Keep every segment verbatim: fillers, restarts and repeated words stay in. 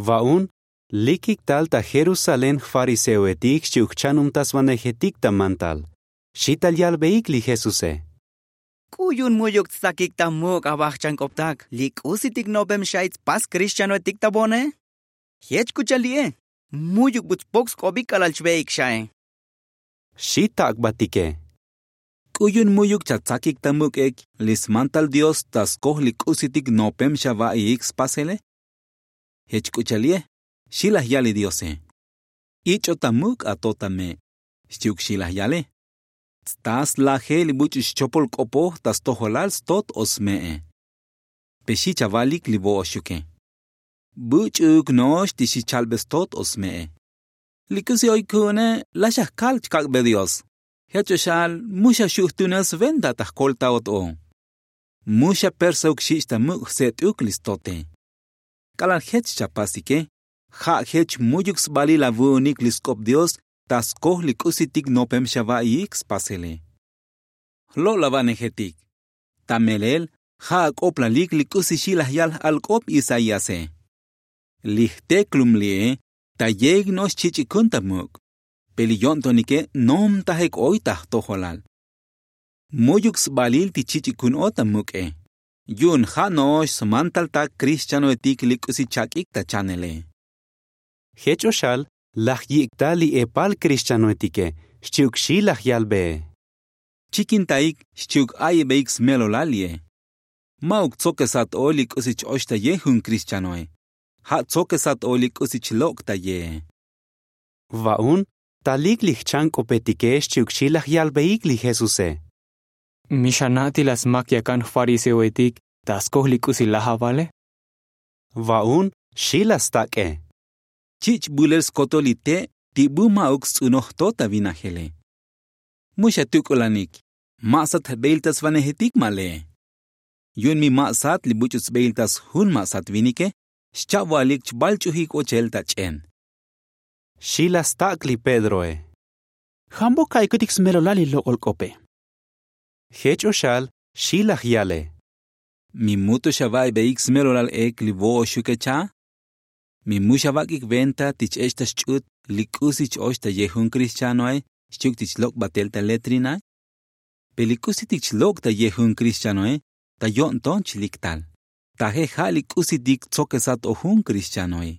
Va'un, likik tal ta jerusalén jfariseoetik xchi'uk jchanumtasvanejetik ta mantal. Xi tal yalbeik li jesuse. K'u yu'un mu'yuk tstsakik ta muk' ava jchank'optak li k'usitik nopem xa'i tspas krixtianoetik ta vo'one? Jech k'u cha'al li'e, mu'yuk bu tspok sk'obik k'alal chve'ik xa'i. Xi tak'batike. K'u yu'un mu'yuk chatsakik ta muk' ek li smantal dios ta skoj li k'usitik nopem xava'iik spasele? Jech k'u cha'al li'e, xi laj yal li diose. Ich'o ta muk' ato ta me', xchi'uk xi laj yale. Tsta slaje li buch'u xchopol k'opoj ta stojolal stot o sme'e. Pe xi chavalik li vo'oxuke. Buch'uuk no'ox ti xi chalbe stot o sme'e. Li k'usi oy ku'une, laj xa jkal chkak'be dios. Jech o xal, mu xa xu' jtunel sventa ta jkoltaot o. Mu xa persauk xich' ta muk' jset'uk li stote. K'alal jech chapasike, ja' jech mu'yuk sbalil avu'unik li sk'op dios ta skoj li k'usitik nopem xava'iik spasele. Jlo'lavanejetik. Ta melel, ja' ak'oplalik li k'usi xi laj yal j'alk'op isaíase. Li jteklum li'e, ta yeik no'ox chich'ikun ta muk'. Pe li yo'ntonike, nomtajek oy ta jtojolal. Mu'yuk sbalil ti chich'ikun o ta muk'e. Yu'un ja' no'ox smantaltak krixtianoetik li k'usi chak'ik ta chanele. Jech o xal, laj yik' tal li epal krixtianoetike, xchi'uk xi laj yalbee. Chikintaik, xchi'uk a'ibeik smelolal li'e. Ma'uk tsokesat o li k'usi ch-ox ta ye jun krixtianoe. Ja' tsokesat o li k'usi chlok' ta yee. Va'un, talik li jchank'opetike xchi'uk xi laj yalbeik li jesuse. Mi xana' ti laj smak yakan jfariseoetik ta skoj li k'usi laj avale? Va'un, xi laj stak'e. Chich' bulel skotol li te' ti bu ma'uk sts'unoj to ta vinajele. Mu xa tuk'ulanik, ma' sat jbeiltasvanejetik ma le'e. Yu'un mi ma' sat li buch'u tsbeiltas jun ma' sat vinike, xcha'voalik chvalch'ujik ochel ta ch'en. Xi laj stak' li pedroe. Jambo ka'ikutik smelolal li lok'ol k'ope? Jech o xal, xi laj yale. Mi mu to xava'ibeik smelolal ek li vo'oxuke cha? Mi mu xavak'ik venta ti ch-ech' ta xch'ut li k'usi ch-ox ta ye jun krixtianoe, xchi'uk ti chlok' batel ta letrinae? Pe li k'usitik chlok' ta ye jun krixtianoe, ta yo'nton chlik tal. Taje ja' li k'usitik tsokesat o jun krixtianoe.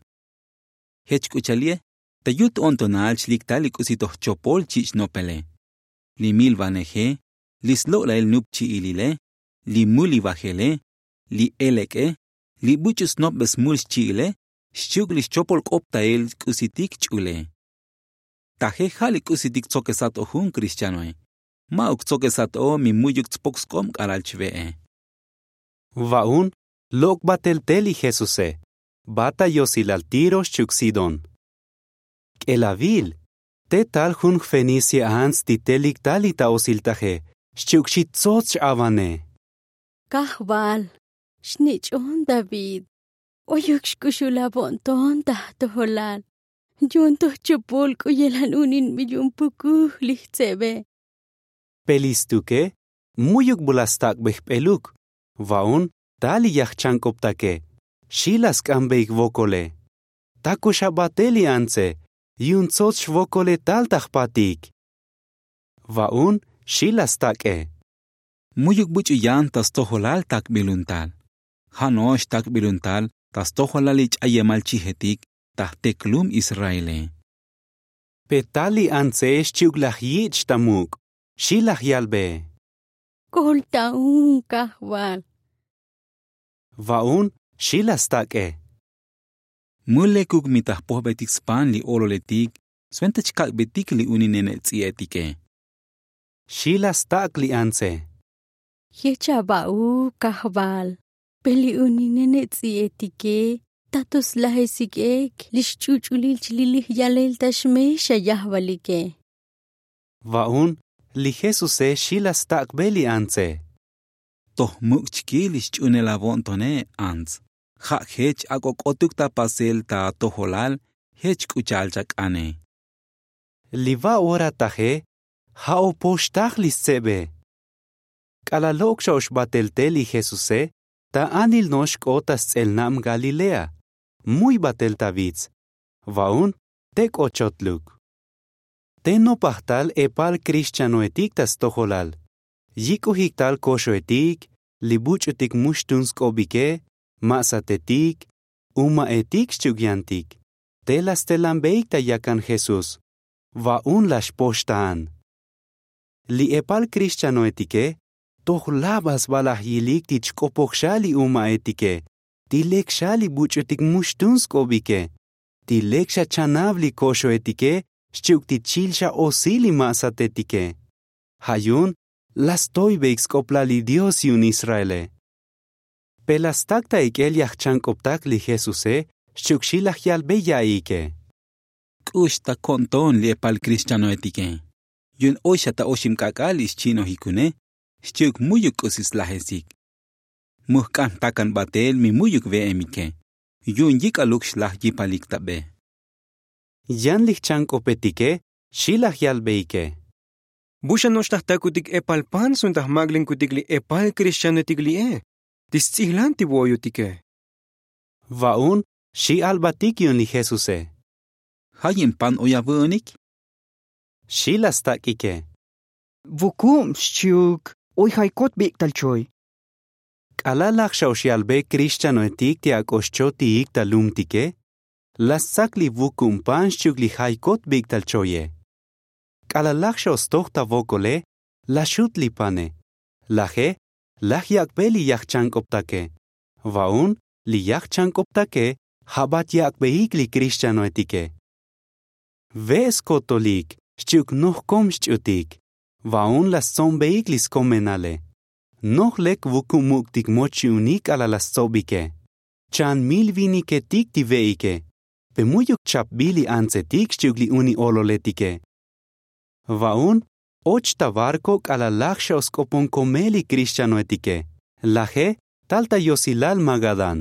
Jech k'u cha'al li'e, ta yut o'ntonal chlik tal li k'usi toj chopol chich' nopele. Li milvaneje, li slo'lail nup chi'ilile, li mulivajele, li elek'e, li buch'u snopbe smul xchi'ile, xchi'uk li xchopol k'optail k'usitik ch'ule. Taje ja' li k'usitik tsokesat o jun krixtianoe. Ma'uk tsokesat o mi mu'yuk tspok sk'ob k'alal chve'e. Va'un, lok' batel te li jesuse, va ta yosilal tiro xchi'uk sidón. K'elavil, te tal jun jfenicia ants ti telik tal li ta osiltaje, xchi'uk xi tsots x'avane. Kajval, xnich'on david, oyuk xk'uxul avo'nton ta jtojolal. Yu'un toj chupul k'u yelan uninbil yu'un pukuj li jtsebe. Pe li stuke, mu'yuk bu laj stak'be jp'eluk. Va'un, tal li yajchank'optake, xi laj sk'ambeik vokole. Tako xa batel li antse, yu'un tsots xvokole tal ta jpatik. Va'un, xi laj stak'e. Mu'yuk buch'u yan ta stojolal takbilun tal. Ja' no'ox takbilun tal ta stojolal li ch'ayemal chijetik ta jteklum israele. Pe tal li antse xchi'uk laj yich' ta muk', xi laj yalbe. Kolta'un kajval. Va'un, xi laj stak'e. Mu lekuk mi ta jpojbetik span li ololetik, sventa chkak'betik li uni nene' ts'i'etike. Xi laj stak' li antse. Jech ava'uk kajval, pe li uni nene' ts'i'etike, ta to slajesik ek li xch'uch'ulil chlilij yalel ta xme xa yajvalike. Va'un, li jesuse xi laj stak'be li antse. Toj muk' chki li xch'unel avo'ntone, ants. Ja' jech ak'o k'otuk ta pasel ta atojolal, jech k'u cha'al chak'ane. Li va ora taje, ja' o poxtaj li stsebe. K'alal lok' xa ox batel te li jesuse, ta anil no'ox k'ot ta sts'elnab galilea. Muy batel ta vits. Va'un te k'ot chotluk. Te nopaj tal epal krixchanoetik ta stojolal. Yik'ojik tal koxoetik, li buch'utik mu xtun sk'obike, ma'satetik, uma'etik xchi'uk yantik. Te la stelanbeik ta yakan jesús. Va'un la xpoxtaan. Li epal krixchanoetike toj labal sba laj yilik ti chk'opoj xa li uma'etike, ti lek xa li buch'utik mu xtun sk'obike, ti lek xa chanav li koxoetike, xchi'uk ti chil xa osil li ma'satetike. Ja' yu'un la stoybeik sk'oplal li dios yu'un israele. Pe la stak ta ik'el yajchank'optak li jesuse, xchi'uk xi laj yalbe ya'iike. K'ux ta ko'nton li epal krixchanoetike. Yu'un oy xa ta oxib k'ak'al ix chi'nojikune, xchi'uk mu'yuk k'usi slajesik. Mu jk'an jtakan batel mi mu'yuk ve'emike. Yu'un yik'aluk xlaj yipalik ta be. Yan li jchank'opetike xi laj yalbeike. Bu xa no'ox ta jtakutik epal pan sun ta jmak'linkutik li epal krixchanoetik li'e, ti sts'ijlan ti vo'oyotike. Va'un xi albatik yu'un li jesuse. Ja' yin pan oy avü'unik? Xi la stak'ike. Vukub xchi'uk oy jaykot bik'tal choy. K'alal laj xa ox yalbe krixchanoetik ti ak'o xchotiik ta lumtike, la stsak li vukub pan xchi'uk li jaykot bik'tal choye. K'alal laj xa ox stoj ta vokole, la xut li pane. Laje laj yak'be li yajchank'optake. Va'un li yajchank'optake, jabat yak'beik li krixchanoetike. Ve' skotolik xchi'uk noj kom xch'utik. Va'un la stso'nbeik li skomenale. Noj lek vukub muk'tik moch chi'unik k'alal la stsobike. Chan mil viniketik ti ve'ike. Pe mu'yuk chapbil li antsetik xchi'uk li uni ololetike. Va'un och ta barko k'alal laj xa ox sk'opon komel li krixchanoetike. Laje tal ta yosilal magadán.